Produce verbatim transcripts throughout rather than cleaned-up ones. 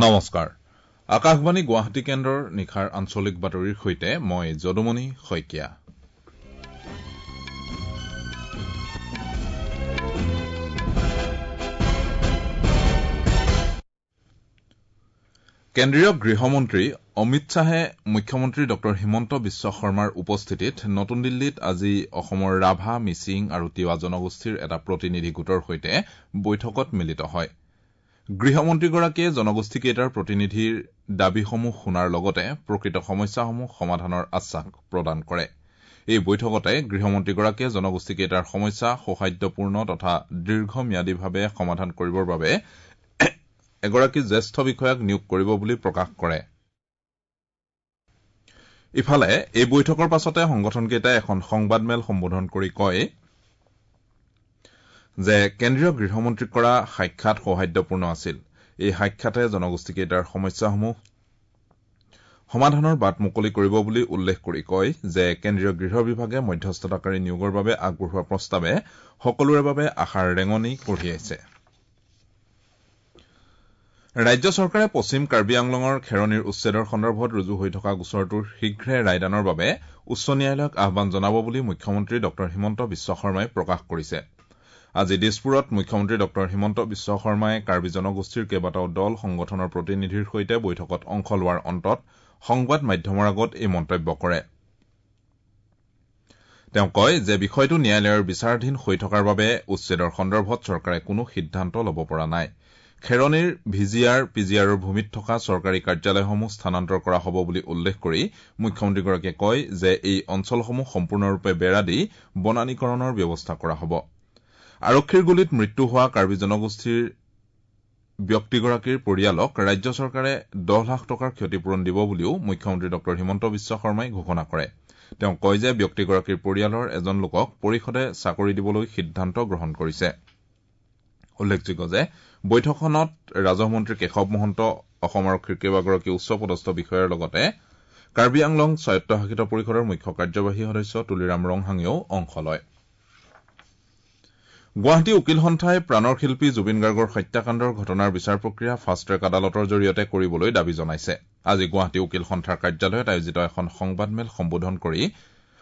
নমস্কাৰ, আকাশবাণী গুৱাহাটী কেন্দ্ৰৰ নিশাৰ আঞ্চলিক বাতৰিৰ সৈতে মই যদুমণি শইকীয়া। কেন্দ্ৰীয় গৃহমন্ত্ৰী অমিত শ্বাহে মুখ্যমন্ত্ৰী ডঃ হিমন্ত বিশ্ব শৰ্মাৰ উপস্থিতিত নতুন দিল্লীত আজি অসমৰ ৰাভা, মিচিং আৰু তিৱা জনগোষ্ঠীৰ এটা প্ৰতিনিধি গোটৰ সৈতে বৈঠকত মিলিত হয়। গৃহমন্ত্ৰীগৰাকীয়ে জনগোষ্ঠীকেইটাৰ প্ৰতিনিধিৰ দাবীসমূহ শুনাৰ লগতে প্ৰকৃত সমস্যাসমূহ সমাধানৰ আশ্বাস প্ৰদান কৰে। এই বৈঠকতে গৃহমন্ত্ৰীগৰাকীয়ে জনগোষ্ঠীকেইটাৰ সমস্যা সৌহাৰ্দ্যপূৰ্ণ তথা দীৰ্ঘম্যাদীভাৱে সমাধান কৰিবৰ বাবে এগৰাকী জ্যেষ্ঠ বিষয়াক নিয়োগ কৰিব বুলি প্ৰকাশ কৰে। ইফালে এই বৈঠকৰ পাছতে সংগঠনকেইটাই এখন সংবাদমেল সম্বোধন কৰি কয় যে কেন্দ্ৰীয় গৃহমন্ত্ৰীক কৰা সাক্ষাৎ সৌহাৰ্দ্যপূৰ্ণ আছিল। এই সাক্ষাতে জনগোষ্ঠীকেইটাৰ সমস্যাসমূহ সমাধানৰ বাট মুকলি কৰিব বুলি উল্লেখ কৰি কয় যে কেন্দ্ৰীয় গৃহ বিভাগে মধ্যস্থতাকাৰী নিয়োগৰ বাবে আগবঢ়োৱা প্ৰস্তাৱে সকলোৰে বাবে আশাৰ ৰেঙনি কঢ়িয়াইছে। ৰাজ্য চৰকাৰে পশ্চিম কাৰ্বি আংলঙৰ খেৰণিৰ উচ্ছেদৰ সন্দৰ্ভত ৰুজু হৈ থকা গোচৰটোৰ শীঘ্ৰে ৰায়দানৰ বাবে উচ্চ ন্যায়ালয়ক আহ্বান জনাব বুলি মুখ্যমন্ত্ৰী ডঃ হিমন্ত বিশ্ব শৰ্মাই প্ৰকাশ কৰিছে। আজি দিছপুৰত মুখ্যমন্ত্ৰী ডঃ হিমন্ত বিশ্ব শৰ্মাই কাৰ্বি জনগোষ্ঠীৰ কেইবাটাও দল সংগঠনৰ প্ৰতিনিধিৰ সৈতে বৈঠকত অংশ লোৱাৰ অন্তত সংবাদ মাধ্যমৰ আগত এই মন্তব্য কৰে। তেওঁ কয় যে বিষয়টো ন্যায়ালয়ৰ বিচাৰাধীন হৈ থকাৰ বাবে উচ্ছেদৰ সন্দৰ্ভত চৰকাৰে কোনো সিদ্ধান্ত ল'ব পৰা নাই। খেৰণিৰ ভিজিআৰ পিজিআৰৰ ভূমিত থকা চৰকাৰী কাৰ্যালয়সমূহ স্থানান্তৰ কৰা হ'ব বুলি উল্লেখ কৰি মুখ্যমন্ত্ৰীগৰাকীয়ে কয় যে এই অঞ্চলসমূহ সম্পূৰ্ণৰূপে বেৰা দি বনানীকৰণৰ ব্যৱস্থা কৰা হ'ব। আৰক্ষীৰ গুলীত মৃত্যু হোৱা কাৰ্বি জনগোষ্ঠীৰ ব্যক্তিগৰাকীৰ পৰিয়ালক ৰাজ্য চৰকাৰে দহ লাখ টকাৰ ক্ষতিপূৰণ দিব বুলিও মুখ্যমন্ত্ৰী ডঃ হিমন্ত বিশ্ব শৰ্মাই ঘোষণা কৰে। তেওঁ কয় যে ব্যক্তিগৰাকীৰ পৰিয়ালৰ এজন লোকক পৰিষদে চাকৰি দিবলৈ সিদ্ধান্ত গ্ৰহণ কৰিছে। উল্লেখযোগ্য যে বৈঠকখনত ৰাজহ মন্ত্ৰী কেশৱ মহন্ত, অসম আৰক্ষীৰ কেইবাগৰাকী উচ্চ পদস্থ বিষয়াৰ লগতে কাৰ্বি আংলং স্বায়ত্তশাসিত পৰিষদৰ মুখ্য কাৰ্যবাহী সদস্য তুলিৰাম ৰংহাঙেও অংশ লয়। গুৱাহাটী উকীল সন্থাই প্ৰাণৰ শিল্পী জুবিন গাৰ্গৰ হত্যাকাণ্ডৰ ঘটনাৰ বিচাৰ প্ৰক্ৰিয়া ফাষ্ট ট্ৰেক আদালতৰ জৰিয়তে কৰিবলৈ দাবী জনাইছে। আজি গুৱাহাটী উকীল সন্থাৰ কাৰ্যালয়ত আয়োজিত এখন সংবাদমেল সম্বোধন কৰি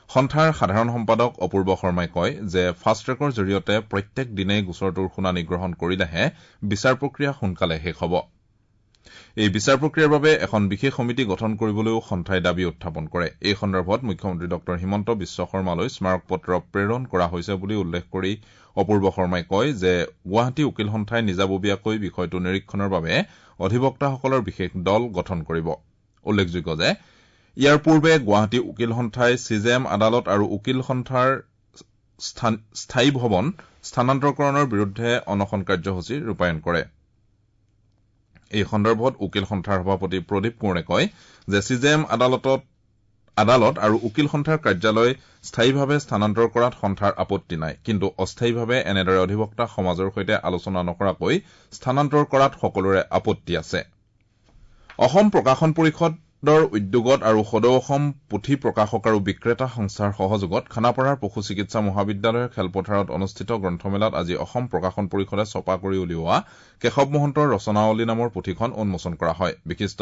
সন্থাৰ সাধাৰণ সম্পাদক অপূৰ্ব শৰ্মাই কয় যে ফাষ্ট ট্ৰেকৰ জৰিয়তে প্ৰত্যেক দিনেই গোচৰটোৰ শুনানি গ্ৰহণ কৰিলেহে বিচাৰ প্ৰক্ৰিয়া সোনকালে শেষ হ'ব। এই বিচাৰ প্ৰক্ৰিয়াৰ বাবে এখন বিশেষ সমিতি গঠন কৰিবলৈও সন্থাই দাবী উত্থাপন কৰে। এই সন্দৰ্ভত মুখ্যমন্ত্ৰী ডঃ হিমন্ত বিশ্ব শৰ্মালৈ স্মাৰকপত্ৰ প্ৰেৰণ কৰা হৈছে বুলি উল্লেখ কৰি অপূৰ্ব শৰ্মাই কয় যে গুৱাহাটী উকীল সন্থাই নিজাববীয়াকৈ বিষয়টো নিৰীক্ষণৰ বাবে অধিবক্তাসকলৰ বিশেষ দল গঠন কৰিব। উল্লেখযোগ্য যে ইয়াৰ পূৰ্বে গুৱাহাটী উকীল সন্থাই চিজেএম আদালত আৰু উকীল সন্থাৰ স্থায়ী ভৱন স্থানান্তৰকৰণৰ বিৰুদ্ধে অনশন কাৰ্যসূচী ৰূপায়ণ কৰে। এই সন্দৰ্ভত উকীল সন্থাৰ সভাপতি প্ৰদীপ কোঁৱৰে কয় যে চিজেএম আদালতত আদালত আৰু উকীল সন্থাৰ কাৰ্যালয় স্থায়ীভাৱে স্থানান্তৰ কৰাত সন্থাৰ আপত্তি নাই, কিন্তু অস্থায়ীভাৱে এনেদৰে অধিবক্তা সমাজৰ সৈতে আলোচনা নকৰাকৈ স্থানান্তৰ কৰাত সকলোৰে আপত্তি আছে। অসম প্ৰকাশন পৰিষদৰ উদ্যোগত আৰু সদৌ অসম পুথি প্ৰকাশক আৰু বিক্ৰেতা সংস্থাৰ সহযোগত খানাপাৰাৰ পশু চিকিৎসা মহাবিদ্যালয়ৰ খেলপথাৰত অনুষ্ঠিত গ্ৰন্থমেলাত আজি অসম প্ৰকাশন পৰিষদে ছপা কৰি উলিওৱা কেশৱ মহন্তৰ ৰচনাৱলী নামৰ পুথিখন উন্মোচন কৰা হয়। বিশিষ্ট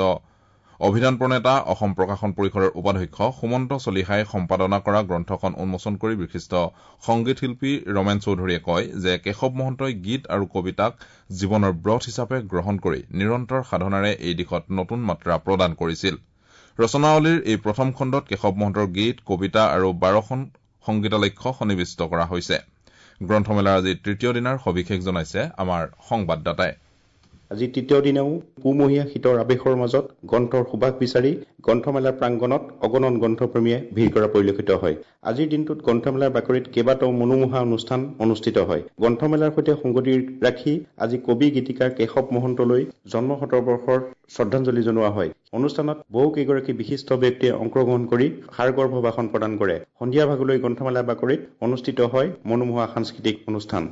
অভিধান প্ৰণেতা অসম প্ৰকাশন পৰিষদৰ উপাধ্যক্ষ সুমন্ত চলিহাই সম্পাদনা কৰা গ্ৰন্থখন উন্মোচন কৰি বিশিষ্ট সংগীত শিল্পী ৰমেন চৌধুৰীয়ে কয় যে কেশৱ মহন্তই গীত আৰু কবিতাক জীৱনৰ ব্ৰত হিচাপে গ্ৰহণ কৰি নিৰন্তৰ সাধনাৰে এই দিশত নতুন মাত্ৰা প্ৰদান কৰিছিল। ৰচনাৱলীৰ এই প্ৰথম খণ্ডত কেশৱ মহন্তৰ গীত, কবিতা আৰু বাৰখন সংগীতালেখ্য সন্নিৱিষ্ট কৰা হৈছে। গ্ৰন্থমেলাৰ আজি তৃতীয় দিনাৰ সবিশেষ জনাইছে আমাৰ সংবাদদাতাই। আজি তৃতীয় দিনাও পুমহীয়া শীতৰ আৱেশৰ মাজত গ্ৰন্থৰ সুবাস বিচাৰি গ্ৰন্থমেলাৰ প্ৰাংগণত অগণন গ্ৰন্থপ্ৰেমীয়ে ভিৰ কৰা পৰিলক্ষিত হয়। আজিৰ দিনটোত গ্ৰন্থমেলাৰ বাকৰিত কেইবাটাও মনোমোহা অনুষ্ঠান অনুষ্ঠিত হয়। গ্ৰন্থমেলাৰ সৈতে সংগতি ৰাখি আজি কবি গীতিকাৰ কেশৱ মহন্তলৈ জন্ম শতবৰ্ষৰ শ্ৰদ্ধাঞ্জলি জনোৱা হয়। অনুষ্ঠানত বহু কেইগৰাকী বিশিষ্ট ব্যক্তিয়ে অংশগ্ৰহণ কৰি সাৰগৰ্ভ ভাষণ প্ৰদান কৰে। সন্ধিয়া ভাগলৈ গ্ৰন্থমেলাৰ বাকৰিত অনুষ্ঠিত হয় মনোমোহা সাংস্কৃতিক অনুষ্ঠান।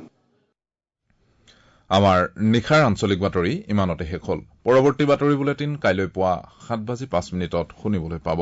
আমাৰ নিশাৰ আঞ্চলিক বাতৰি ইমানতে শেষ হ'ল। পৰৱৰ্তী বাতৰি বুলেটিন কাইলৈ পুৱা সাত বাজি পাঁচ মিনিটত শুনিবলৈ পাব।